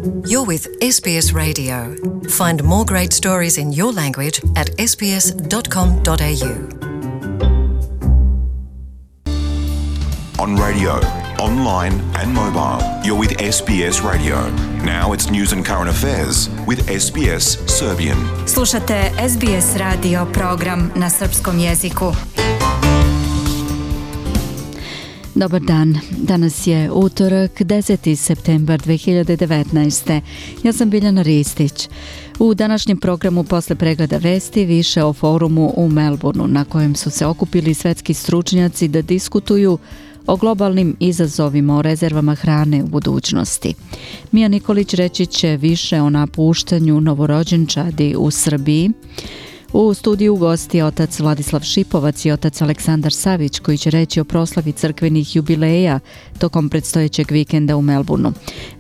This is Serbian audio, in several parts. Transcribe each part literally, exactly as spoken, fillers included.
You're with S B S Radio. Find more great stories in your language at s b s dot com dot a u. On radio, online and mobile, you're with S B S Radio. Now it's news and current affairs with S B S Serbian. Slušate S B S radio program na srpskom jeziku. Dobar dan, danas je utorak, deseti septembar dve hiljade devetnaeste. Ja sam Biljana Ristić. U današnjem programu posle pregleda vesti više o forumu u Melbourneu na kojem su se okupili svetski stručnjaci da diskutuju o globalnim izazovima o rezervama hrane u budućnosti. Mija Nikolić reći će više o napuštanju novorođenčadi u Srbiji. U studiju gosti otac Vladislav Šipovac i otac Aleksandar Savić koji će reći o proslavi crkvenih jubileja tokom predstojećeg vikenda u Melbourneu.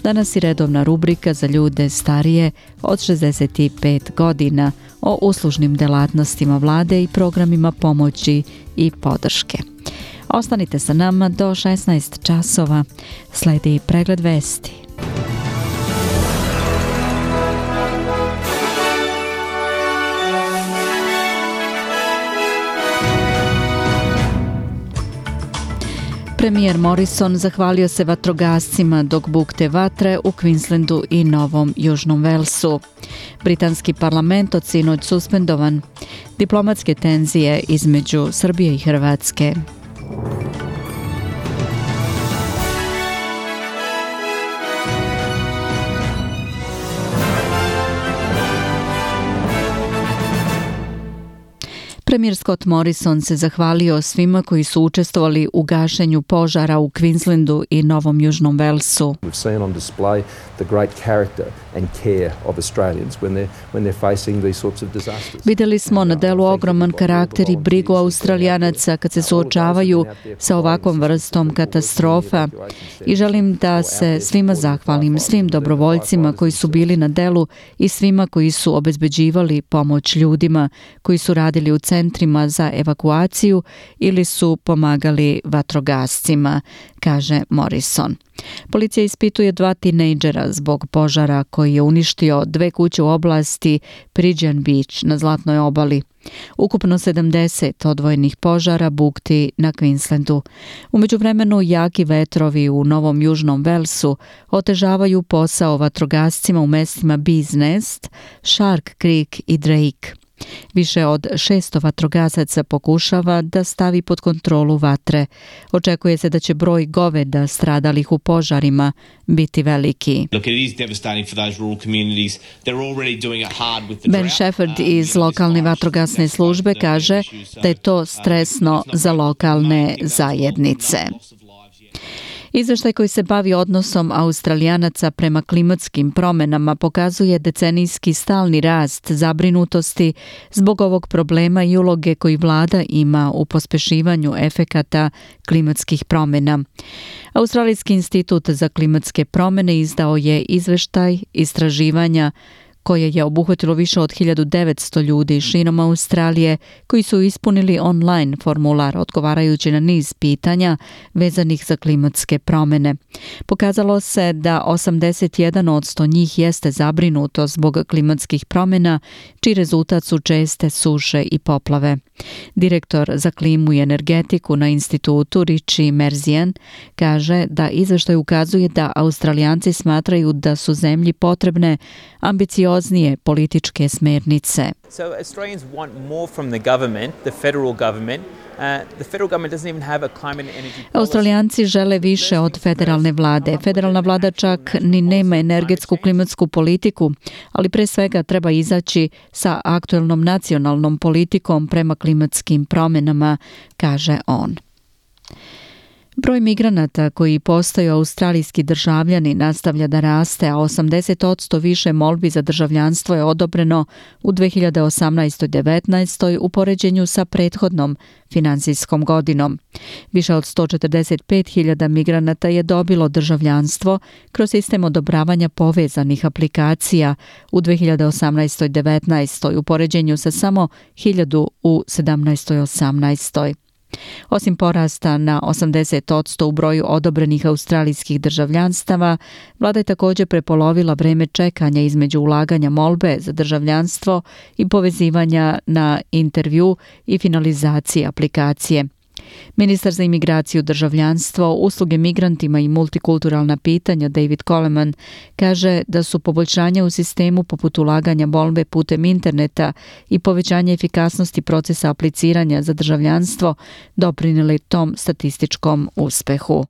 Danas je redovna rubrika za ljude starije od šezdeset pet godina o uslužnim delatnostima vlade i programima pomoći i podrške. Ostanite sa nama do šesnaest časova. Sledi pregled vesti. Premijer Morrison zahvalio se vatrogascima dok bukte vatre u Queenslandu i Novom Južnom Velsu. Britanski parlament od sinoć suspendovan. Diplomatske tenzije između Srbije i Hrvatske. Premijer Scott Morrison se zahvalio svima koji su učestvovali u gašenju požara u Queenslandu i Novom Južnom Velsu. Vidjeli smo na delu ogroman karakter i brigu Australijanaca kad se suočavaju sa ovakvom vrstom katastrofa i želim da se svima zahvalim, svim dobrovoljcima koji su bili na delu i svima koji su obezbeđivali pomoć ljudima koji su radili u centrima za evakuaciju ili su pomagali vatrogascima, kaže Morrison. Policija ispituje dva tinejdžera zbog požara koji je uništio dve kuće u oblasti Pigeon Beach na Zlatnoj obali. Ukupno sedamdeset odvojenih požara bukti na Queenslandu. U međuvremenu jaki vetrovi u Novom Južnom Velsu otežavaju posao vatrogascima u mestima Bees Nest, Shark Creek i Drake. Više od šesto vatrogasaca pokušava da stavi pod kontrolu vatre. Očekuje se da će broj goveda stradalih u požarima biti veliki. Ben Shepherd iz lokalne vatrogasne službe kaže da je to stresno za lokalne zajednice. Izveštaj koji se bavi odnosom Australijanaca prema klimatskim promjenama pokazuje decenijski stalni rast zabrinutosti zbog ovog problema i uloge koji vlada ima u pospešivanju efekata klimatskih promjena. Australijski institut za klimatske promjene izdao je izveštaj istraživanja koje je obuhvatilo više od hiljadu devetsto ljudi širom Australije koji su ispunili online formular odgovarajući na niz pitanja vezanih za klimatske promjene. Pokazalo se da osamdeset jedan posto njih jeste zabrinuto zbog klimatskih promjena, čiji rezultat su česte suše i poplave. Direktor za klimu i energetiku na institutu Richie Merzian kaže da izveštaj ukazuje da Australijanci smatraju da su zemlji potrebne ambicioznije političke smernice. So Australians want more from the government, the federal government. Uh, the federal government doesn't even have a climate and energy policy. Australijanci žele više od federalne vlade. Federalna vlada čak ni nema energetsku klimatsku politiku, ali pre svega treba izaći sa aktuelnom nacionalnom politikom prema klimatskim promjenama, kaže on. Broj migranata koji postaju australijski državljani nastavlja da raste, a osamdeset posto više molbi za državljanstvo je odobreno u dve hiljade osamnaestoj devetnaestoj u poređenju sa prethodnom finansijskom godinom. Više od sto četrdeset pet hiljada migranata je dobilo državljanstvo kroz sistem odobravanja povezanih aplikacija u dve hiljade osamnaestoj devetnaestoj u poređenju sa samo hiljadu u sedamnaestoj osamnaestoj. Osim porasta na osamdeset posto u broju odobrenih australijskih državljanstava, vlada je također prepolovila vreme čekanja između ulaganja molbe za državljanstvo i povezivanja na intervju i finalizacije aplikacije. Ministar za imigraciju, državljanstvo, usluge migrantima i multikulturalna pitanja David Coleman kaže da su poboljšanja u sistemu poput ulaganja molbe putem interneta i povećanje efikasnosti procesa apliciranja za državljanstvo doprinijeli tom statističkom uspehu.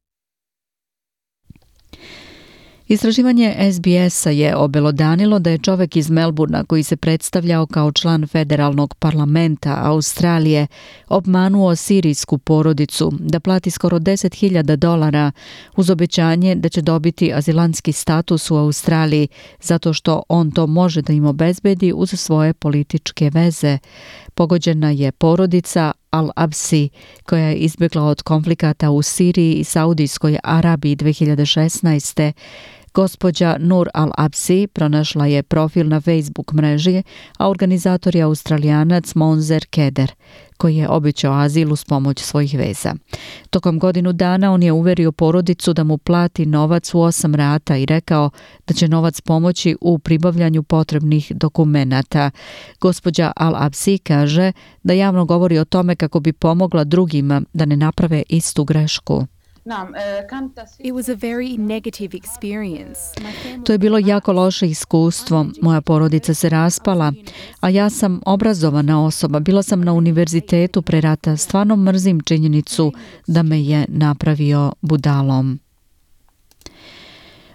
Istraživanje S B S-a je obelodanilo da je čovjek iz Melbourna koji se predstavljao kao član federalnog parlamenta Australije obmanuo sirijsku porodicu da plati skoro deset hiljada dolara uz obećanje da će dobiti azilantski status u Australiji zato što on to može da im obezbedi uz svoje političke veze. Pogođena je porodica Al-Absi, koja je izbjegla od konflikata u Siriji i Saudijskoj Arabiji dvije hiljade šesnaeste. Gospođa Nur Al-Absi pronašla je profil na Facebook mreži, a organizator je Australijanac Monzer Keder, koji je obećao azil uz pomoć svojih veza. Tokom godinu dana on je uverio porodicu da mu plati novac u osam rata i rekao da će novac pomoći u pribavljanju potrebnih dokumenata. Gospođa Al-Absi kaže da javno govori o tome kako bi pomogla drugima da ne naprave istu grešku. It was a very negative experience. To je bilo jako loše iskustvo. Moja porodica se raspala, a ja sam obrazovana osoba. Bila sam na univerzitetu pre rata. Stvarno mrzim činjenicu da me je napravio budalom.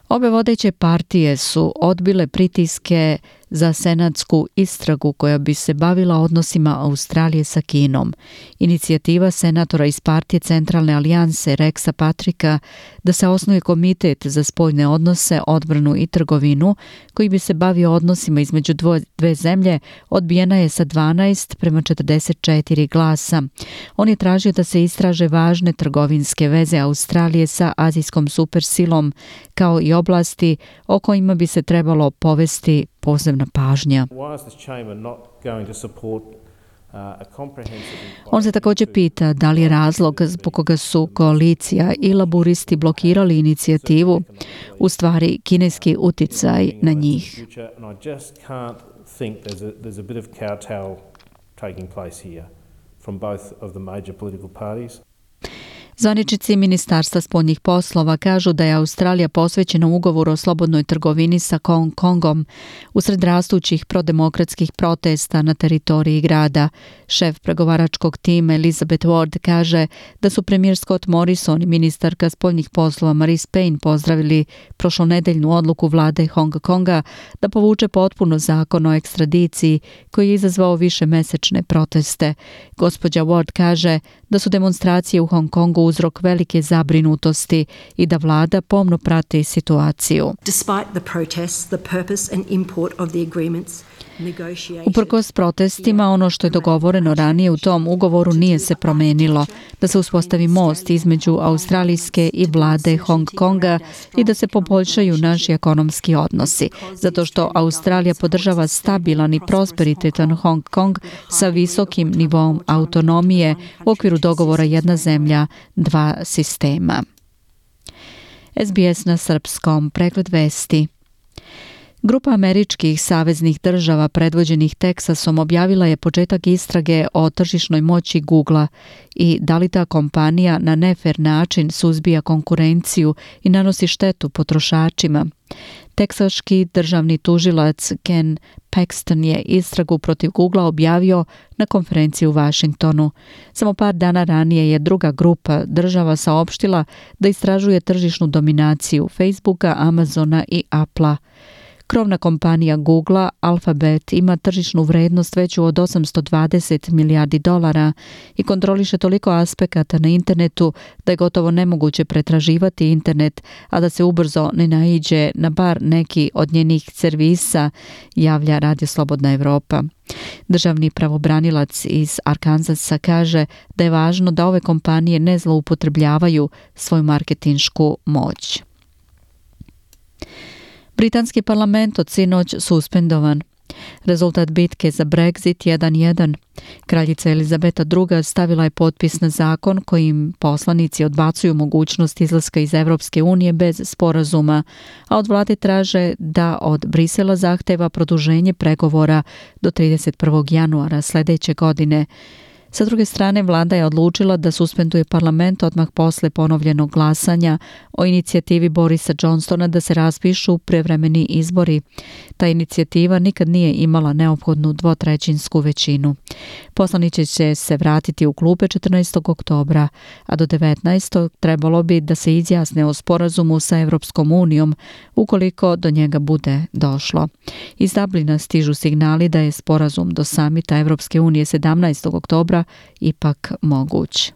Obe vodeće partije su odbile pritiske za senatsku istragu koja bi se bavila odnosima Australije sa Kinom. Inicijativa senatora iz partije Centralne alijanse Rexa Patricka da se osnuje komitet za spoljne odnose, odbranu i trgovinu koji bi se bavio odnosima između dvo, dve zemlje odbijena je sa dvanaest prema četrdeset četiri glasa. On je tražio da se istraže važne trgovinske veze Australije sa azijskom supersilom kao i oblasti o kojima bi se trebalo povesti posebna pažnja. On se također pita da li je razlog zbog koga su koalicija i laburisti blokirali inicijativu u stvari kineski uticaj na njih. Zvaničnici Ministarstva spoljnih poslova kažu da je Australija posvećena ugovoru o slobodnoj trgovini sa Hong Kongom usred rastućih prodemokratskih protesta na teritoriji grada. Šef pregovaračkog tima Elizabeth Ward kaže da su premijer Scott Morrison i ministarka spoljnih poslova Marise Payne pozdravili prošlonedeljnu odluku vlade Hong Konga da povuče potpuno zakon o ekstradiciji koji je izazvao višemesečne proteste. Gospođa Ward kaže da su demonstracije u Hong Kongu uzrok velike zabrinutosti i da vlada pomno prati situaciju. Uprkos protestima, ono što je dogovoreno ranije u tom ugovoru nije se promenilo, da se uspostavi most između australijske i vlade Hong Konga i da se poboljšaju naši ekonomski odnosi, zato što Australija podržava stabilan i prosperitetan Hong Kong sa visokim nivoom autonomije u okviru dogovora jedna zemlja, dva sistema. S B S na srpskom, pregled vesti. Grupa američkih saveznih država predvođenih Teksasom objavila je početak istrage o tržišnoj moći Googlea i da li ta kompanija na nefer način suzbija konkurenciju i nanosi štetu potrošačima. Teksaški državni tužilac Ken Paxton je istragu protiv Googlea objavio na konferenciji u Washingtonu. Samo par dana ranije je druga grupa država saopštila da istražuje tržišnu dominaciju Facebooka, Amazona i Applea. Krovna kompanija Googlea, Alphabet, ima tržišnu vrednost veću od osamsto dvadeset milijardi dolara i kontroliše toliko aspekata na internetu da je gotovo nemoguće pretraživati internet, a da se ubrzo ne naiđe na bar neki od njenih servisa, javlja Radio Slobodna Evropa. Državni pravobranilac iz Arkansasa kaže da je važno da ove kompanije ne zloupotrebljavaju svoju marketinšku moć. Britanski parlament od sinoć suspendovan. Rezultat bitke za Brexit jedan jedan. Kraljica Elizabeta druga. stavila je potpis na zakon kojim poslanici odbacuju mogućnost izlaska iz Evropske unije bez sporazuma, a od vlade traže da od Brisela zahteva produženje pregovora do trideset prvog januara sljedeće godine. Sa druge strane, vlada je odlučila da suspenduje parlament odmah posle ponovljenog glasanja o inicijativi Borisa Johnsona da se raspišu prevremeni izbori. Ta inicijativa nikad nije imala neophodnu dvotrećinsku većinu. Poslanici će se vratiti u klupe četrnaestog oktobra, a do devetnaestog trebalo bi da se izjasne o sporazumu sa Evropskom unijom ukoliko do njega bude došlo. Iz Dublina stižu signali da je sporazum do samita Evropske unije sedamnaestog oktobra ipak moguć.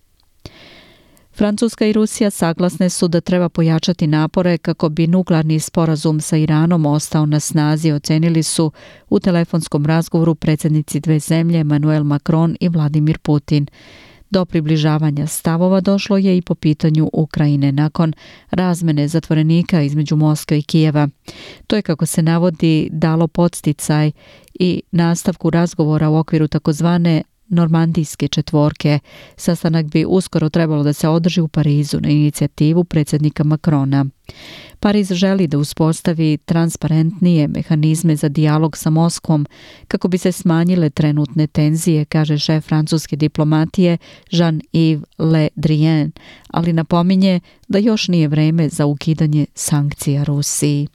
Francuska i Rusija saglasne su da treba pojačati napore kako bi nuklearni sporazum sa Iranom ostao na snazi, ocenili su u telefonskom razgovoru predsjednici dve zemlje Emmanuel Macron i Vladimir Putin. Do približavanja stavova došlo je i po pitanju Ukrajine nakon razmene zatvorenika između Moskve i Kijeva. To je, kako se navodi, dalo podsticaj i nastavku razgovora u okviru takozvane normandijske četvorke. Sastanak bi uskoro trebalo da se održi u Parizu na inicijativu predsjednika Macrona. Pariz želi da uspostavi transparentnije mehanizme za dijalog sa Moskvom kako bi se smanjile trenutne tenzije, kaže šef francuske diplomatije Jean-Yves Le Drian, ali napominje da još nije vreme za ukidanje sankcija Rusiji.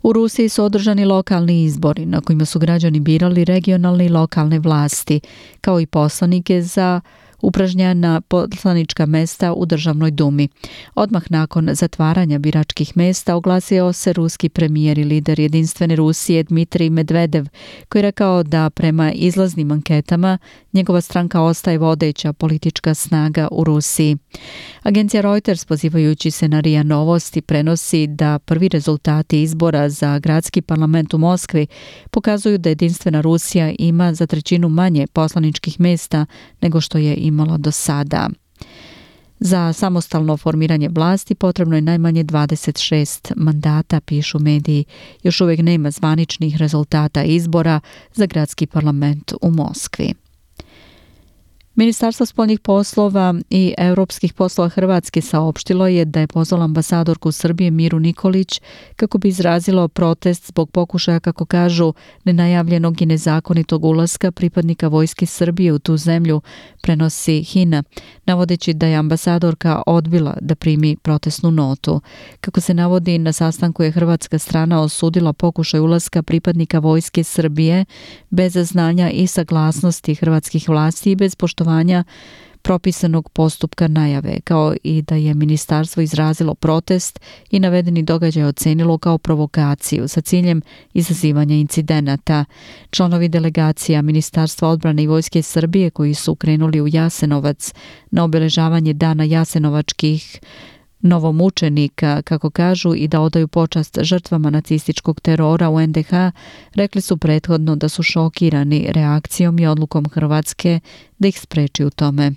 U Rusiji su održani lokalni izbori na kojima su građani birali regionalne i lokalne vlasti, kao i poslanike za upražnjena poslanička mesta u Državnoj dumi. Odmah nakon zatvaranja biračkih mesta oglasio se ruski premijer i lider Jedinstvene Rusije Dmitrij Medvedev, koji je rekao da prema izlaznim anketama njegova stranka ostaje vodeća politička snaga u Rusiji. Agencija Reuters, pozivajući se na RIA Novosti, prenosi da prvi rezultati izbora za gradski parlament u Moskvi pokazuju da Jedinstvena Rusija ima za trećinu manje poslaničkih mesta nego što je imala do sada. Za samostalno formiranje vlasti potrebno je najmanje dvadeset šest mandata, pišu mediji. Još uvijek nema zvaničnih rezultata izbora za gradski parlament u Moskvi. Ministarstvo spoljnih poslova i europskih poslova Hrvatske saopštilo je da je pozvalo ambasadorku Srbije Miru Nikolić kako bi izrazilo protest zbog pokušaja, kako kažu, nenajavljenog i nezakonitog ulaska pripadnika vojske Srbije u tu zemlju, prenosi H I N A, navodeći da je ambasadorka odbila da primi protestnu notu. Kako se navodi, na sastanku je hrvatska strana osudila pokušaj ulaska pripadnika vojske Srbije bez znanja i saglasnosti hrvatskih vlasti i bez poštovanja propisanog postupka najave, kao i da je ministarstvo izrazilo protest i navedeni događaj ocenilo kao provokaciju sa ciljem izazivanja incidenata. Članovi delegacija Ministarstva odbrane i vojske Srbije koji su krenuli u Jasenovac na obeležavanje dana jasenovačkih novomučenika, kako kažu, i da odaju počast žrtvama nacističkog terora u N D H, rekli su prethodno da su šokirani reakcijom i odlukom Hrvatske da ih spreči u tome.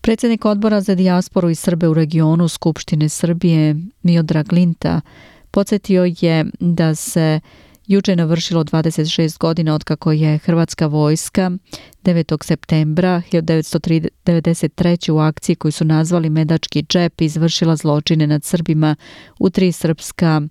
Predsjednik odbora za dijasporu i Srbe u regionu Skupštine Srbije Miodrag Linta podsjetio je da se juče navršilo dvadeset šest godina otkako je hrvatska vojska devetog septembra hiljadu devetsto devedeset treće. u akciji koju su nazvali Medački džep izvršila zločine nad Srbima u tri srpska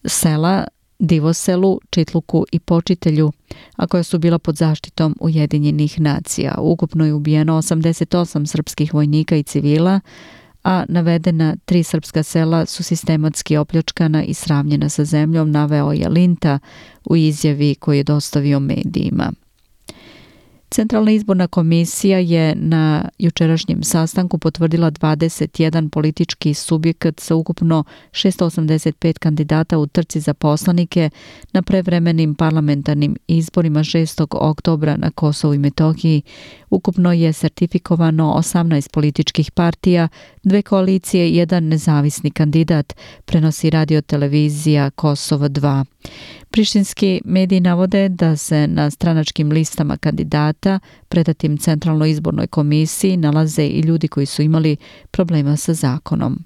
sela, Divoselu, Čitluku i Počitelju, a koja su bila pod zaštitom Ujedinjenih nacija. Ukupno je ubijeno osamdeset osam srpskih vojnika i civila, a navedena tri srpska sela su sistematski opljačkana i sravnjena sa zemljom, naveo je Linta u izjavi koju je dostavio medijima. Centralna izborna komisija je na jučerašnjem sastanku potvrdila dvadeset jedan politički subjekat sa ukupno šesto osamdeset pet kandidata u trci za poslanike na prevremenim parlamentarnim izborima šestog oktobra na Kosovu i Metohiji. Ukupno je sertifikovano osamnaest političkih partija, dve koalicije i jedan nezavisni kandidat, prenosi radio-televizija Kosovo dva. Prištinski mediji navode da se na stranačkim listama kandidata predatim Centralnoj izbornoj komisiji nalaze i ljudi koji su imali problema sa zakonom.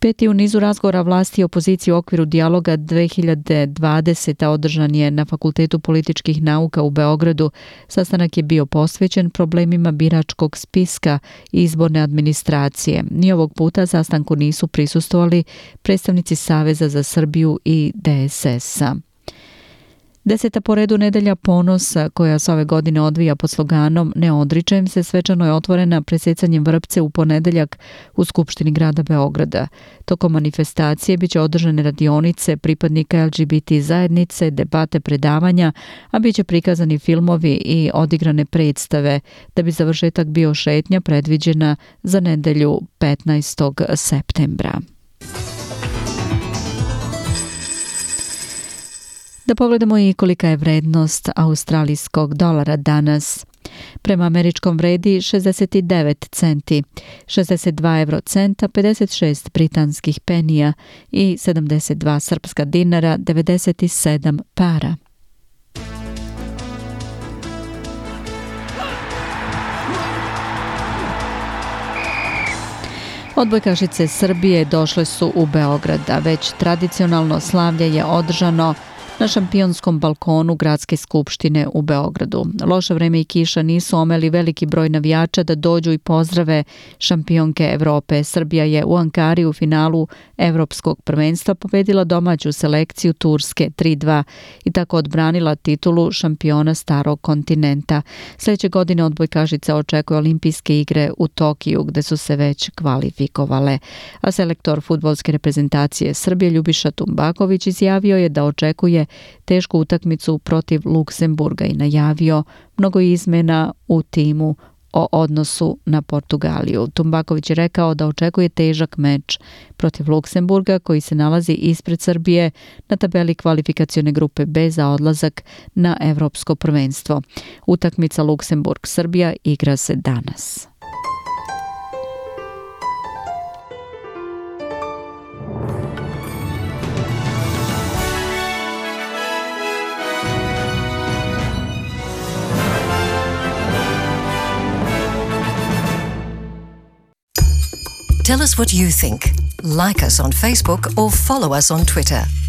Peti u nizu razgovora vlasti i opozicije u okviru dijaloga dve hiljade dvadesete. održan je na Fakultetu političkih nauka u Beogradu. Sastanak je bio posvećen problemima biračkog spiska i izborne administracije. Ni ovog puta sastanku nisu prisustvovali predstavnici Saveza za Srbiju i D S S-a. Deseta po redu nedelja ponosa, koja se ove godine odvija pod sloganom Ne odričem se, svečano je otvorena presecanjem vrpce u ponedeljak u Skupštini grada Beograda. Tokom manifestacije biće održane radionice pripadnika L G B T zajednice, debate, predavanja, a biće prikazani filmovi i odigrane predstave, da bi završetak bio šetnja predviđena za nedelju petnaestog septembra. Da pogledamo i kolika je vrednost australijskog dolara danas. Prema američkom vredi šezdeset devet centi, šezdeset dva evrocenta, pedeset šest britanskih penija i sedamdeset dva srpska dinara, devedeset sedam para. Odbojkašice Srbije došle su u Beograd, a već tradicionalno slavlje je održano na šampionskom balkonu Gradske skupštine u Beogradu. Loše vreme i kiša nisu omeli veliki broj navijača da dođu i pozdrave šampionke Evrope. Srbija je u Ankari u finalu Evropskog prvenstva pobedila domaću selekciju Turske tri dva i tako odbranila titulu šampiona starog kontinenta. Sljedeće godine odbojkašice očekuje olimpijske igre u Tokiju, gde su se već kvalifikovale. A selektor fudbalske reprezentacije Srbije Ljubiša Tumbaković izjavio je da očekuje tešku utakmicu protiv Luksemburga i najavio mnogo izmena u timu o odnosu na Portugaliju. Tumbaković je rekao da očekuje težak meč protiv Luksemburga, koji se nalazi ispred Srbije na tabeli kvalifikacione grupe B za odlazak na Evropsko prvenstvo. Utakmica Luksemburg-Srbija igra se danas. Tell us what you think. Like us on Facebook or follow us on Twitter.